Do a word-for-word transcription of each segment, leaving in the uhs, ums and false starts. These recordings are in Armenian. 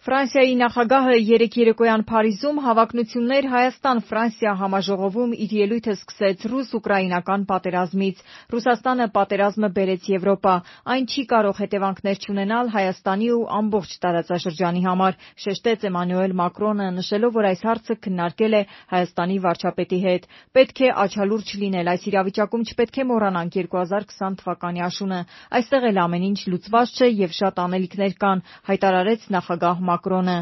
Ֆրանսիայի նախագահը երեկ երեկոյան Փարիզում հավակնություններ Հայաստան-Ֆրանսիա համաժողովում իր ելույթը սկսեց ռուս-ուկրաինական պատերազմից։ Ռուսաստանը պատերազմը բերեց Եվրոպա, այն չի կարող հետևանքներ չունենալ Հայաստանի ու ամբողջ տարածաշրջանի համար, շեշտեց Էմանուել Մակրոնը, նշելով, որ այս հարցը քննարկել է Հայաստանի վարչապետի հետ։ Պետք է աչալուրջ լինել, այս իրավիճակում չպետք է մոռանանք երկու հազար քսան թվականի աշունը։ Այստեղ էլ ամեն ինչ լուծված չէ եւ շատ անելիքներ կան, հայտարարեց նախագահ Մակրոնը։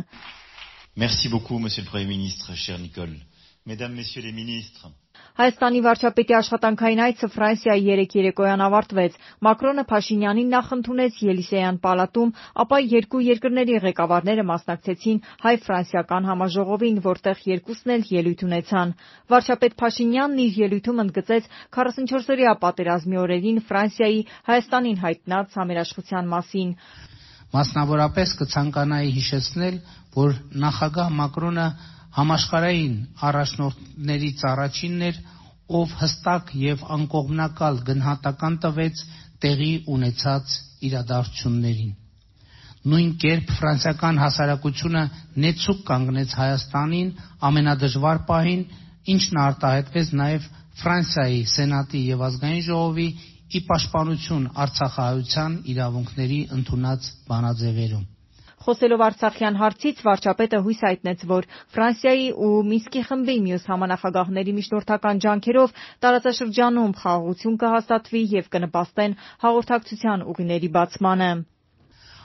Merci beaucoup, Monsieur le Premier ministre, cher Nicole. Mesdames, Messieurs les ministres. Հայաստանի վարչապետի աշխատանքային այցը Ֆրանսիայի երեկ երեկոյան ավարտվեց։ Մակրոնը Փաշինյանին նախընդունեց Ելիսեյան պալատում, ապա երկու երկրների ղեկավարները մասնակցեցին հայ-ֆրանսիական համաժողովին, որտեղ երկուսն էլ ելույթ ունեցան։ Վարչապետ Փաշինյանն իր ելույթում ընդգծեց քառասունչորսօրյա պատերազմի օրերին Ֆրանսիայի Հայաստանին հայտնած համերաշխության մասին։ Մասնավորապես կցանկանայի հիշեցնել, որ նախագահ Մակրոնը համաշխարհային առաջնորդներից առաջինն էր, ով հստակ եւ անկողմնակալ գնահատական տվեց տեղի ունեցած իրադարձություններին։ Նույն կերպ ֆրանսիական հասարակությունը նեցուկ կանգնեց Հայաստանին ամենադժվար պահին, ինչն արտահայտվեց նաեւ Ֆրանսիայի Սենատի եւ ազգային ժողովի ի պաշտպանություն արցախահայության իրավունքների ընդունած բանաձևերում։ Խոսելով Արցախյան հարցից, վարչապետը հույս հայտնեց, որ Ֆրանսիայի ու Մինսկի խմբի մյուս համանախագահների միջնորդական ջանքերով տարածաշրջանում խաղաղություն կհաստատվի եւ կնպաստեն հաղորդակցության ուղիների բացմանը։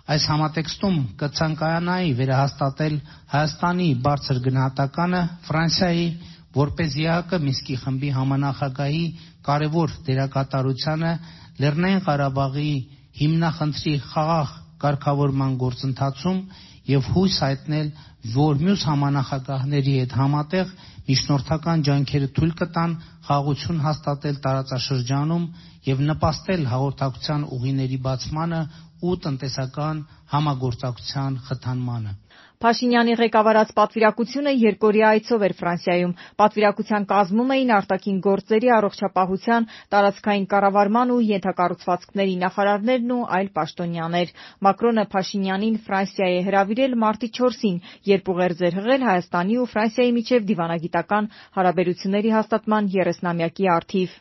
Այս համատեքստում կցանկանայի վերահաստատել Հայաստանի բարձր գնահատականը Ֆրանսիայի որպես ԵԱՀԿ Մինսկի խմբի համանախագահի կարևոր դերակատարությանը Լեռնային Ղարաբաղի հիմնախնդրի խաղաղ կարգավորման գործընթացում եւ հույս հայտնել, որ մյուս համանախագահների հետ համատեղ միջնորդական ջանքերը թույլ կտան խաղաղություն հաստատել տարածաշրջանում եւ նպաստել հաղորդակցության ուղիների բացմանը ու տնտեսական համագործակցության խթանմանը։ Փաշինյանի ղեկավարած պատվիրակությունը երկօրյա այցով էր Ֆրանսիայում։ Պատվիրակության կազմում էին արտաքին գործերի, առողջապահության, տարածքային կառավարման ու ենթակառուցվածքների նախարարներն ու այլ պաշտոնյաներ։ Մակրոնը Փաշինյանին Ֆրանսիա է հրավիրել մարտի չորսին, երբ ուղերձ էր հղել Հայաստանի ու Ֆրանսիայի միջև դիվանագիտական հարաբերությունների հաստատման երեսնամյակի առթիվ։